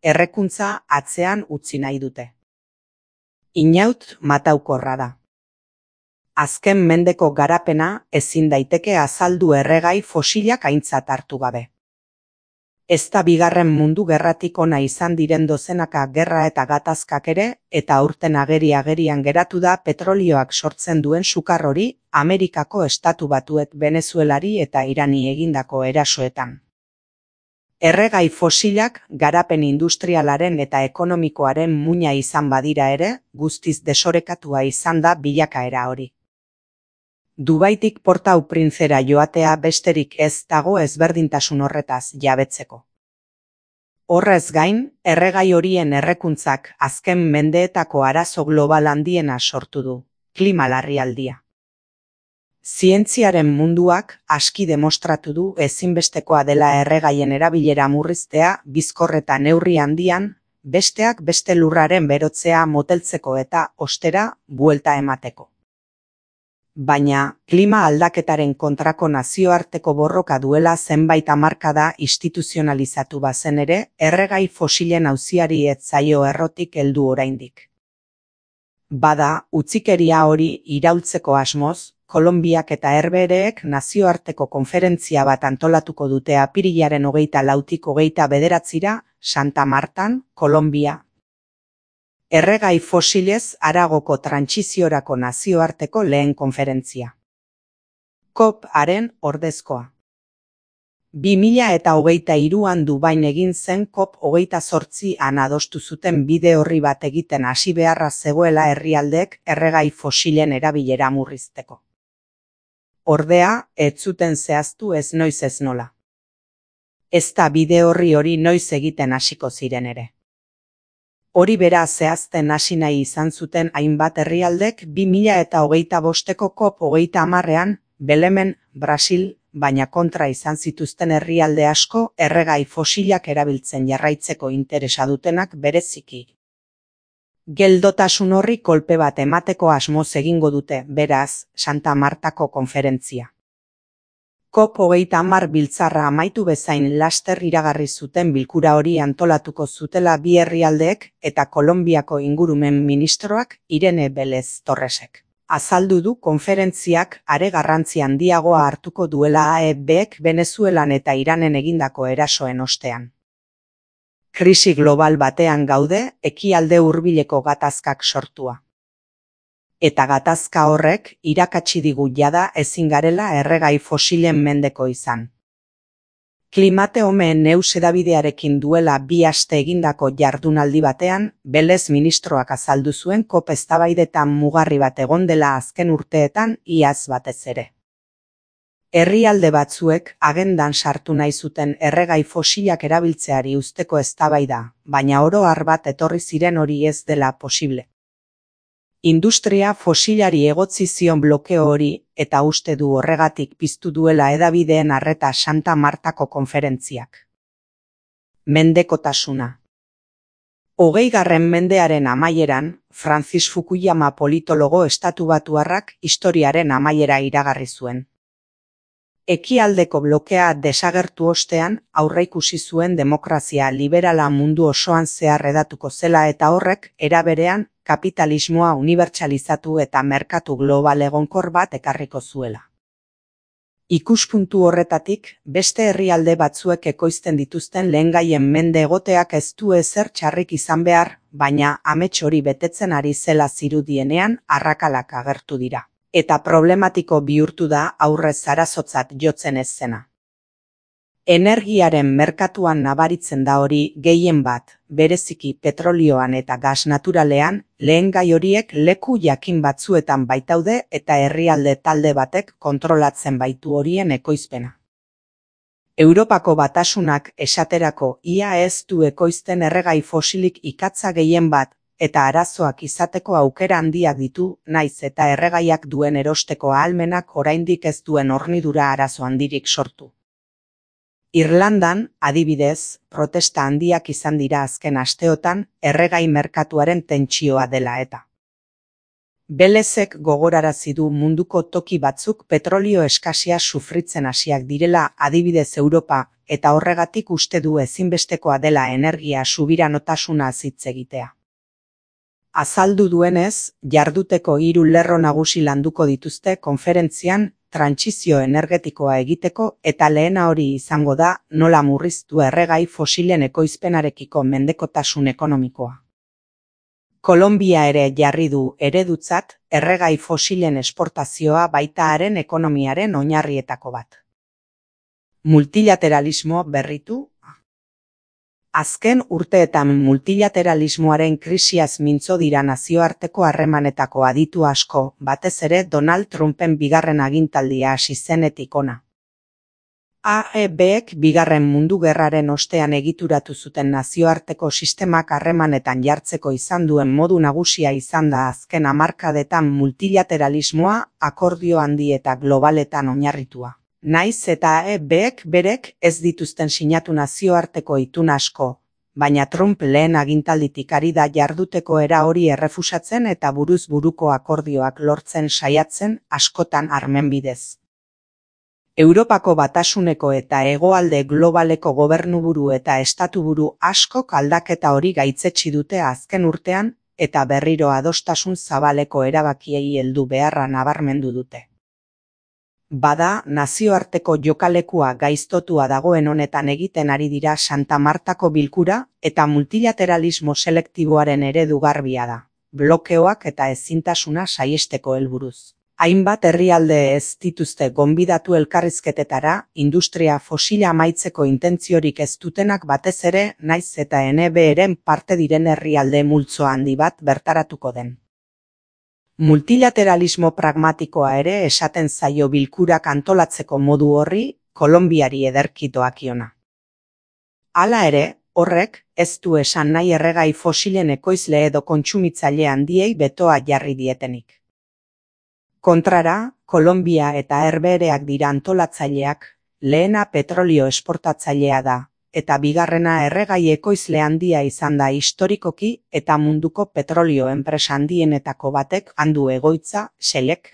errekuntza atzean utzi nahi dute. Inaut mataukorra da. Azken mendeko garapena ezin daiteke azaldu erregai fosilak aintzat hartu gabe. Ez da bigarren mundu gerratik ona izan diren dozenaka gerra eta gatazkak ere, eta aurten agerian geratu da petrolioak sortzen duen sukar hori Amerikako Estatu Batuek Venezuelari eta Irani egindako erasoetan. Erregai fosilak garapen industrialaren eta ekonomikoaren muina izan badira ere, guztiz desorekatua izan da bilakaera hori. Dubaitik Port-au-Princera joatea besterik ez dago ezberdintasun horretaz jabetzeko. Horrez gain, erregai horien errekuntzak azken mendeetako arazo global handiena sortu du, klima larrialdia. Zientziaren munduak aski demostratu du ezinbestekoa dela erregaien erabilera murriztea bizkor eta neurri handian, besteak beste lurraren berotzea moteltzeko eta, ostera, buelta emateko. Baina, klima aldaketaren kontrako nazioarteko borroka duela zenbait hamarkada instituzionalizatu bazen ere, erregai fosilen auziari ez zaio errotik heldu oraindik. Bada, utzikeria hori iraultzeko asmoz, Kolonbiak eta Herbehereek nazioarteko konferentzia bat antolatuko dute apirilaren 24-tik 29-ra, Santa Martan, Kolonbia. Erregai fosilez haragoko trantsiziorako nazioarteko lehen konferentzia. COP-aren ordezkoa. 2023an Dubain egin zen COP28an adostu zuten bide orri bat egiten hasi beharra zegoela herrialdeek erregai fosilen erabilera murrizteko. Ordea, ez zuten zehaztu ez noiz ez nola. Ez da bide orri hori noiz egiten hasiko ziren ere. Hori bera zehazten hasi nahi izan zuten hainbat herrialdek 2025ko COP30ean Belemen, Brasil, baina kontra izan zituzten herrialde asko erregai fosilak erabiltzen jarraitzeko interesa dutenak bereziki. Geldotasun horri kolpe bat emateko asmoz egingo dute, beraz, Santa Martako konferentzia. COP30 biltzarra amaitu bezain laster iragarri zuten bilkura hori antolatuko zutela bi herrialdeek eta Kolonbiako ingurumen ministroak Irene Vélez Torresek. Azaldu du konferentziak are garrantzi handiagoa hartuko duela AEBek Venezuelan eta Iranen egindako erasoen ostean. Krisi global batean gaude, ekialde hurbileko gatazkak sortua. Eta gatazka horrek irakatsi digu jada ezin garela erregai fosilen mendeko izan. Klimatehome News hedabidearekin duela 2 aste egindako jardunaldi batean, Vélez ministroak azaldu zuen COP eztabaidetan mugarri bat egon dela azken urteetan iaz batez ere. Herrialde batzuek agendan sartu nahi zuten erregai fosilak erabiltzeari uzteko eztabaida, baina oro har bat etorri ziren hori ez dela posible. Industria fosilari egotzi zion blokeo hori eta uste du horregatik piztu duela hedabideen arreta Santa Martako konferentziak. Mendekotasuna. 20. mendearen amaieran, Francis Fukuyama politologo estatubatuarrak historiaren amaiera iragarri zuen. Ekialdeko blokea desagertu ostean aurreikusi zuen demokrazia liberala mundu osoan zehar hedatuko zela eta horrek era berean kapitalismoa unibertsalizatu eta merkatu global egonkor bat ekarriko zuela. Ikuspuntu horretatik, beste herrialde batzuek ekoizten dituzten lehengaien mende egoteak ez du ezer txarrik izan behar, baina amets hori betetzen ari zela zirudienean arrakalak agertu dira. Eta problematiko bihurtu da aurrez arazotzat jotzen ez zena. Energiaren merkatuan nabaritzen da hori gehien bat, bereziki petrolioan eta gas naturalean, lehengai horiek leku jakin batzuetan baitaude eta herrialde talde batek kontrolatzen baitu horien ekoizpena. Europako Batasunak esaterako ia ez du ekoizten erregai fosilik ikatza gehien bat, eta arazoak izateko aukera handiak ditu, naiz eta erregaiak duen erosteko ahalmenak oraindik ez duen hornidura arazo handirik sortu. Irlandan, adibidez, protesta handiak izan dira azken asteotan erregai merkatuaren tentsioa dela eta. Vélezek gogorarazi du munduko toki batzuk petrolio eskasia sufritzen hasiak direla, adibidez Europa, eta horregatik uste du ezinbestekoa dela energia subiranotasunaz hitz egitea. Azaldu duenez, jarduteko 3 lerro nagusi landuko dituzte konferentzian trantsizio energetikoa egiteko eta lehena hori izango da nola murriztu erregai fosilen ekoizpenarekiko mendekotasun ekonomikoa. Kolonbia ere jarri du eredutzat erregai fosilen esportazioa baita haren ekonomiaren oinarrietako bat. Multilateralismo berritu. Azken urteetan multilateralismoaren krisiaz mintzo dira nazioarteko harremanetako aditu asko, batez ere Donald Trumpen bigarren agintaldia hasi zenetik hona. AEBek bigarren mundu gerraren ostean egituratu zuten nazioarteko sistemak harremanetan jartzeko izan duen modu nagusia izan da azken hamarkadetan multilateralismoa akordio handi eta globaletan oinarritua. Naiz eta AEBek berek ez dituzten sinatu nazioarteko itun asko, baina Trump lehen agintalditik ari da jarduteko era hori errefusatzen eta buruz buruko akordioak lortzen saiatzen askotan armen bidez. Europako Batasuneko eta hegoalde globaleko gobernuburu eta estatuburu askok aldaketa hori gaitzetsi dute azken urtean eta berriro adostasun zabaleko erabakiei heldu beharra nabarmendu dute. Bada, nazioarteko jokalekua gaiztotua dagoen honetan egiten ari dira Santa Martako bilkura eta multilateralismo selektiboaren eredu garbia da, blokeoak eta ezintasuna saihesteko helburuz. Hainbat herrialde ez dituzte gonbidatu elkarrizketetara, industria fosila amaitzeko intentziorik ez dutenak batez ere, naiz eta NBeren parte diren herrialde multzo handi bat bertaratuko den. Multilateralismo pragmatikoa ere esaten zaio bilkurak antolatzeko modu horri, Kolonbiari ederki doakiona. Hala ere, horrek ez du esan nahi erregai fosilen ekoizle edo kontsumitzaile handiei betoa jarri dietenik. Kontrara, Kolonbia eta Herbehereak dira antolatzaileak, lehena petrolio esportatzailea da, eta bigarrena erregai ekoizle handia izan da historikoki eta munduko petrolio enpresa handienetako batek handu egoitza, Shellek.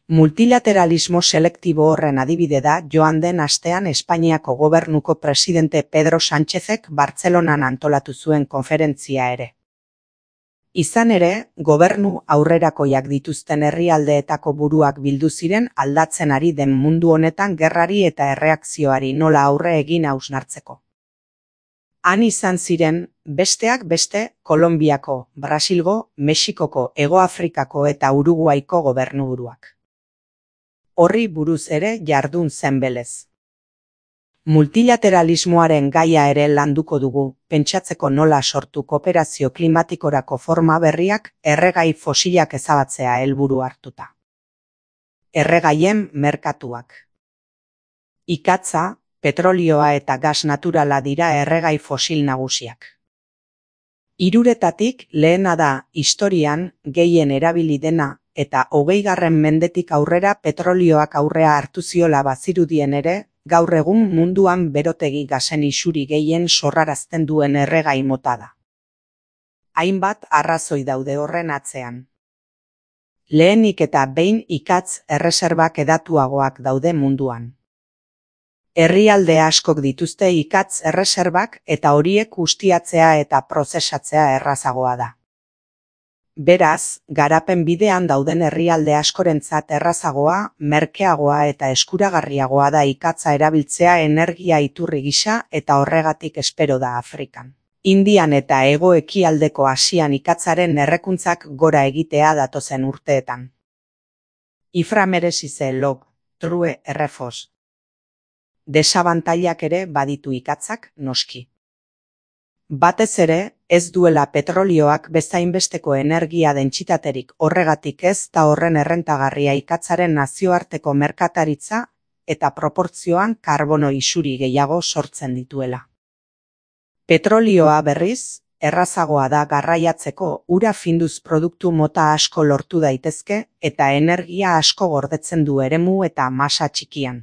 Multilateralismo selektibo horren adibide da joan den astean Espainiako gobernuko presidente Pedro Sánchezek Bartzelonan antolatu zuen konferentzia ere. Izan ere, gobernu aurrerakoiak dituzten herrialdeetako buruak bildu ziren aldatzen ari den mundu honetan gerrari eta erreakzioari nola aurre egin hausnartzeko. Han izan ziren, besteak beste, Kolonbiako, Brasilgo, Mexikoko, Hegoafrikako eta Uruguaiko gobernuburuak. Horri buruz ere jardun zen belez. Multilateralismoaren gaia ere landuko dugu, pentsatzeko nola sortu kooperazio klimatikorako forma berriak erregai fosilak ezabatzea helburu hartuta. Erregaien merkatuak. Ikatza, petrolioa eta gas naturala dira erregai fosil nagusiak. Hiruretatik lehena da historian gehien erabili dena eta 20. mendetik aurrera petrolioak aurrea hartu ziola bazirudien ere, gaur egun munduan berotegi gasen isuri gehien sorrarazten duen erregai mota da. Hainbat arrazoi daude horren atzean. Lehenik eta behin ikatz erreserbak hedatuagoak daude munduan. Herrialde askok dituzte ikatz erreserbak eta horiek ustiatzea eta prozesatzea errazagoa da. Beraz, garapen bidean dauden herrialde askorentzat errazagoa, merkeagoa eta eskuragarriagoa da ikatza erabiltzea energia iturri gisa eta horregatik espero da Afrikan. Indian eta hego-ekialdeko Asian ikatzaren errekuntzak gora egitea datozen urteetan. Iframeresize log, true errefos. Desabantailak ere baditu ikatzak noski. Batez ere, ez duela petrolioak bezainbesteko energia dentsitaterik horregatik ez da horren errentagarria ikatzaren nazioarteko merkataritza eta proportzioan karbono isuri gehiago sortzen dituela. Petrolioa berriz, errazagoa da garraiatzeko ura finduz produktu mota asko lortu daitezke eta energia asko gordetzen du eremu eta masa txikian.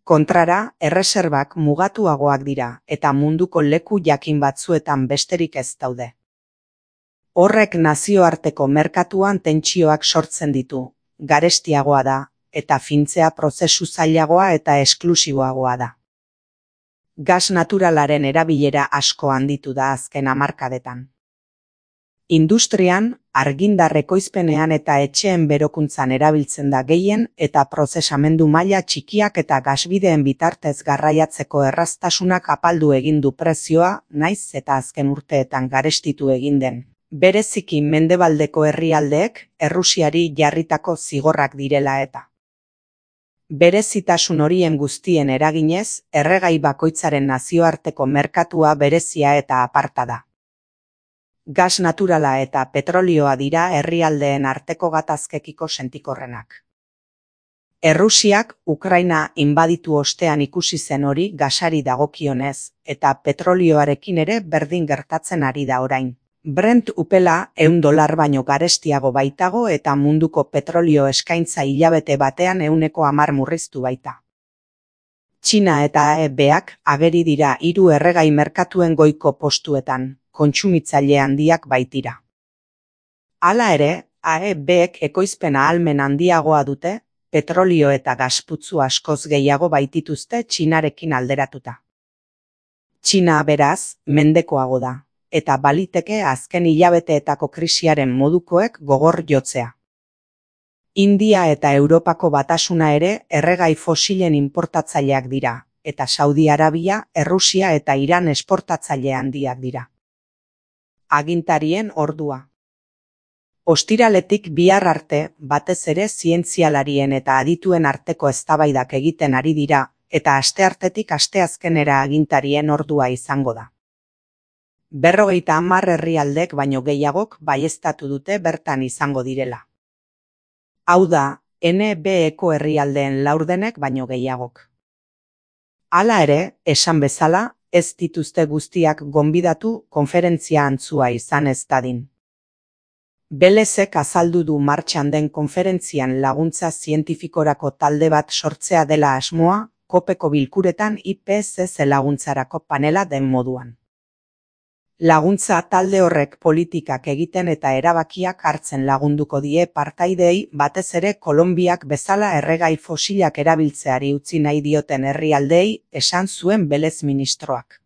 Kontrara, erreserbak mugatuagoak dira eta munduko leku jakin batzuetan besterik ez daude. Horrek nazioarteko merkatuan tentsioak sortzen ditu, garestiagoa da eta fintzea prozesu zailagoa eta esklusiboagoa da. Gas naturalaren erabilera asko handitu da azken hamarkadetan. Industrian, argindar ekoizpenean eta etxeen berokuntzan erabiltzen da gehien eta prozesamendu maila txikiak eta gasbideen bitartez garraiatzeko erraztasunak apaldu egin du prezioa, naiz eta azken urteetan garestitu egin den. Bereziki mendebaldeko herrialdeek Errusiari jarritako zigorrak direla eta. Berezitasun horien guztien eraginez, erregai bakoitzaren nazioarteko merkatua berezia eta aparta da. Gas naturala eta petrolioa dira herrialdeen arteko gatazkekiko sentikorrenak. Errusiak Ukraina inbaditu ostean ikusi zen hori gasari dagokionez, eta petrolioarekin ere berdin gertatzen ari da orain. Brent upela $100 baino garestiago baitago eta munduko petrolio eskaintza hilabete batean 110 murriztu baita. Txina eta AEBak ageri dira 3 erregai merkatuen goiko postuetan, kontsumitzaile handiak baitira. Hala ere, AEBek ekoizpen ahalmen handiagoa dute, petrolio eta gasputzu askoz gehiago baitituzte Txinarekin alderatuta. Txina beraz, mendekoago da, eta baliteke azken hilabeteetako krisiaren modukoek gogor jotzea. India eta Europako Batasuna ere erregai fosilen inportatzaileak dira, eta Saudi Arabia, Errusia eta Iran esportatzaile handiak dira. Agintarien ordua. Ostiraletik bihar arte, batez ere zientzialarien eta adituen arteko eztabaidak egiten ari dira, eta asteartetik asteazkenera agintarien ordua izango da. 50 herrialdek baino gehiagok baieztatu dute bertan izango direla. Hau da, NBeko herrialdeen laurdenek baino gehiagok. Hala ere, esan bezala, ez dituzte guztiak gonbidatu konferentzia antzua izan ez dadin. Belezek azaldu du martxan den konferentzian laguntza zientifikorako talde bat sortzea dela asmoa, kopeko bilkuretan IPCC laguntzarako panela den moduan. Laguntza talde horrek politikak egiten eta erabakiak hartzen lagunduko die partaideei batez ere Kolonbiak bezala erregai fosilak erabiltzeari utzi nahi dioten herrialdeei, esan zuen Belez ministroak.